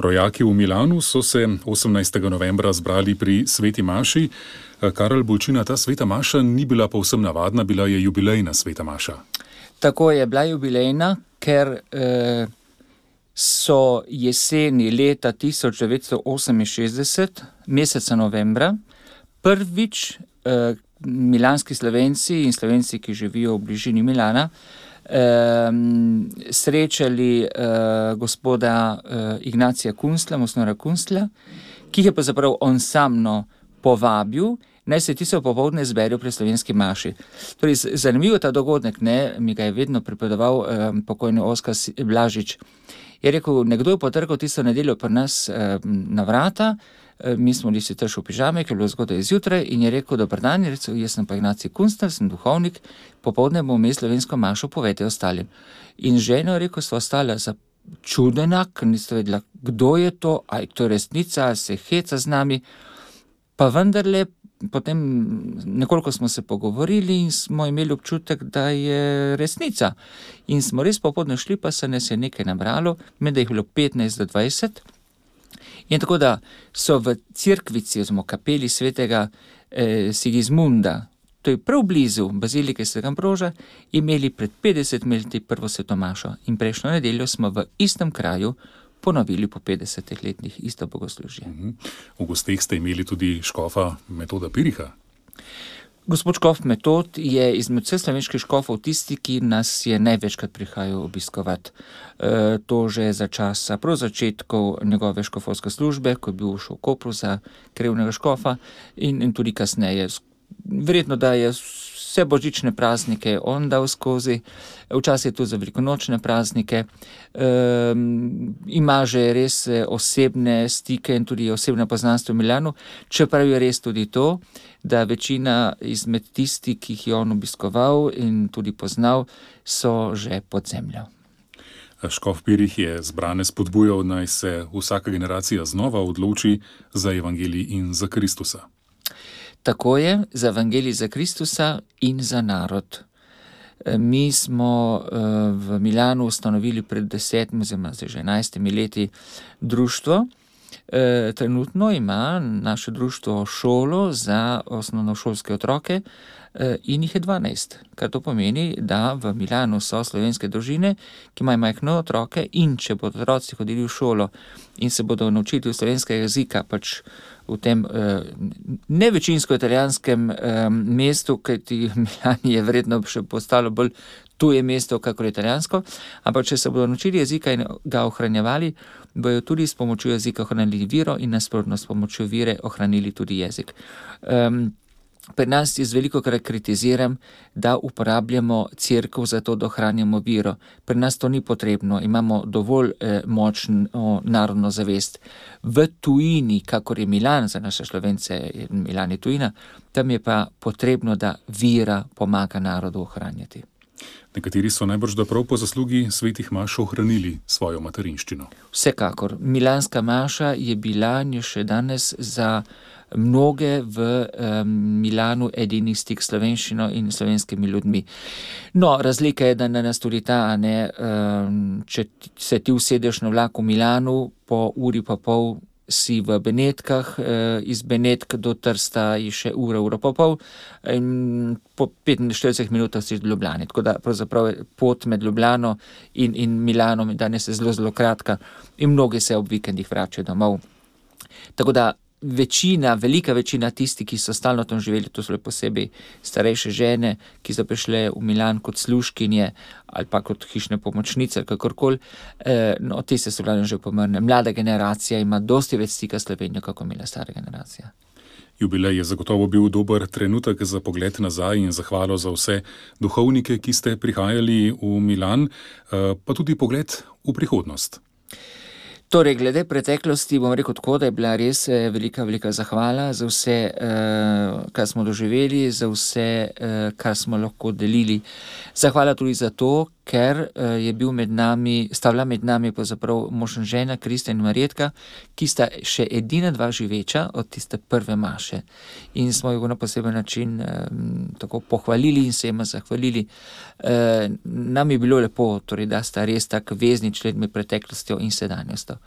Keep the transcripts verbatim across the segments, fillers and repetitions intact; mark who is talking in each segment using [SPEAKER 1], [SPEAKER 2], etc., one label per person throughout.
[SPEAKER 1] Rojaki v Milanu so se osemnajstega novembra zbrali pri sveti maši. Karel Bolčina, ta sveta maša ni bila povsem navadna, bila je jubilejna sveta maša.
[SPEAKER 2] Tako je bila jubilejna, ker eh, so jeseni leta tisoč devetsto oseminšestdeset, meseca novembra, prvič eh, milanski Slovenci in Slovenci, ki živijo v bližini Milana, eh, srečali eh, gospoda eh, Ignacija Kunstla, Mosnora Kunstla, ki je pa zapravo on samno povabil, naj se tisto popoldne zberijo pri slovenski maši. Torej, zanimivo ta dogodek, ne, mi ga je vedno pripovedoval eh, pokojni Oskar Blažič. Je rekel, nekdo je potrgal tisto nedeljo pri nas eh, na vrata, eh, mi smo bili si tež v pižame, ker je bilo zgodaj zjutraj, in je rekel, dober dan, je rekel, jaz sem pa Ignacij Kunstler, sem duhovnik, popoldne bomo imeli slovensko mašo, povejte ostalim. In žena je rekel, so ostala začudena, ker niste vedela, kdo je to, ali to je resnica, ali se heca z nami. Pa vendarle, potem nekoliko smo se pogovorili in smo imeli občutek, da je resnica. In smo res popodne šli, pa se nas je nekaj nabralo, med da jih bilo petnajst do dvajset. In tako da so v cerkvici, oziroma kapeli svetega eh, Sigismunda, to je prav blizu bazilike svetega Ambroža, imeli pred petdesetimi leti prvo sveto mašo. In prejšnjo nedeljo smo v istem kraju ponovili po petdesetih letih isto bogoslužje.
[SPEAKER 1] V gosteh ste imeli tudi škofa Metoda Piriha.
[SPEAKER 2] Gospod škof Metod je izmed vseh slovenskih škofov tisti, ki nas je največkrat prihajal obiskovati. E, to že za časa prav začetkov njegove škofovske službe, ko je bil šel v Kopru za krevnega škofa, in, in tudi kasneje. Verjetno, da je vse božične praznike on dal skozi, včasih je to za velikonočne praznike. E, ima že res osebne stike in tudi osebne poznanstvo v Milanu, čeprav je res tudi to, da večina izmed tisti, ki jih je on obiskoval in tudi poznal, so že pod zemljo.
[SPEAKER 1] Škof Pirih je zbrane spodbujal, naj se vsaka generacija znova odloči za evangelij in za Kristusa.
[SPEAKER 2] Tako je, za evangelij za Kristusa in za narod. Mi smo v Milanu ustanovili pred desetimi, oziroma že enajstimi leti društvo. Trenutno ima naše društvo šolo za osnovnošolske otroke in jih je dvanajst, kar to pomeni, da v Milanu so slovenske družine, ki imajo majhne otroke, in če bodo otroci hodili v šolo in se bodo naučili slovenskega jezika, pač v tem eh, nevečinsko italijanskem eh, mestu, kajti Milani je verjetno še postalo bolj tuje mesto, kakor italijansko, ampak če se bodo naučili jezika in ga ohranjevali, bojo tudi s pomočjo jezika ohranili viro in nasprotno s pomočjo vire ohranili tudi jezik. Um, Pri nas jaz veliko krat kritiziram, da uporabljamo cerkev za to, da ohranjamo viro. Pri nas to ni potrebno, imamo dovolj eh, močno narodno zavest. V tujini, kakor je Milan za naše Slovence, Milan je tujina, tam je pa potrebno, da vira pomaga narodu ohranjati.
[SPEAKER 1] Nekateri so najbrž da prav po zaslugi svetih maš ohranili svojo materinščino.
[SPEAKER 2] Vsekakor. Milanska maša je bila in je še danes za mnoge v um, Milanu edini stik s slovenščino in slovenskimi ljudmi. No, razlika je, da na nas tudi ta, ne, um, če se ti usedeš na vlak v Milanu, po uri pa pol si v Benetkah, iz Benetk do Trsta je še ura, ura pa pol, in po petinštiridesetih minutah si v Ljubljani. Tako da pravzaprav pot med Ljubljano in, in Milanom danes je zelo, zelo kratka in mnogi se ob vikendih vračajo domov. Tako da večina, velika večina tisti, ki so stalno tam živeli, to so le posebej starejše žene, ki so prišle v Milan kot služkinje ali pa kot hišne pomočnice, kakorkoli, eh, no, te se so glavno že pomrne. Mlada generacija ima dosti več stika s Slovenijo, kako imela stara generacija.
[SPEAKER 1] Jubilej je zagotovo bil dober trenutek za pogled nazaj in zahvalo za vse duhovnike, ki ste prihajali v Milan, eh, pa tudi pogled v prihodnost.
[SPEAKER 2] Torej, glede preteklosti bom rekel tako, da je bila res velika, velika zahvala za vse, kar smo doživeli, za vse, kar smo lahko delili. Zahvala tudi za to, ker je bil med nami, sta bila med nami pravzaprav mož in žena, Kristjan in Marjetka, ki sta še edina dva živeča od tiste prve maše. In smo jo na poseben način tako pohvalili in se jima zahvalili. Nam je bilo lepo, torej, da sta res tak vezni člen med preteklostjo in sedanjostjo.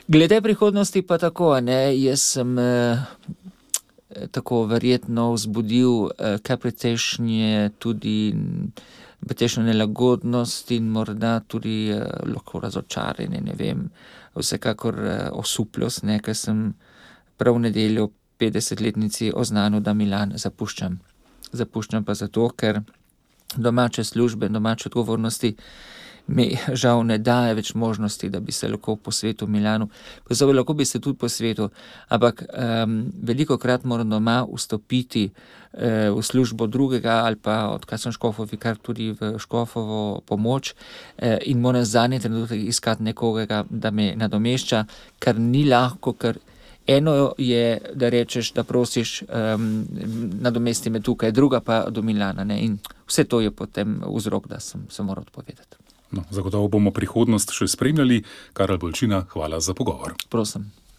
[SPEAKER 2] Glede prihodnosti pa tako, ne, jaz sem eh, tako verjetno vzbudil eh, kar precejšnje tudi precejšnjo nelagodnost in morda tudi eh, lahko razočaranje, ne vem, vsekakor eh, osupljost, ne, ker sem prav v nedeljo petdesetletnici oznanil, da Milan zapuščam. Zapuščam pa zato, ker domače službe, domače odgovornosti mi žal ne daje več možnosti, da bi se lahko posvetil Milanu. Pozor, lahko bi se tudi posvetil, ampak um, veliko krat moram doma vstopiti uh, v službo drugega ali pa odkar sem škofov vikar tudi v škofovo pomoč uh, in moram zadnji trenutek iskati nekoga, da me nadomešča, kar ni lahko, ker eno je, da rečeš, da prosiš, um, nadomesti me tukaj, druga pa do Milana, ne? In vse to je potem vzrok, da sem se moral odpovedati.
[SPEAKER 1] No, zagotovo bomo prihodnost še spremljali. Karel Bolčina, hvala za pogovor.
[SPEAKER 2] Prosim.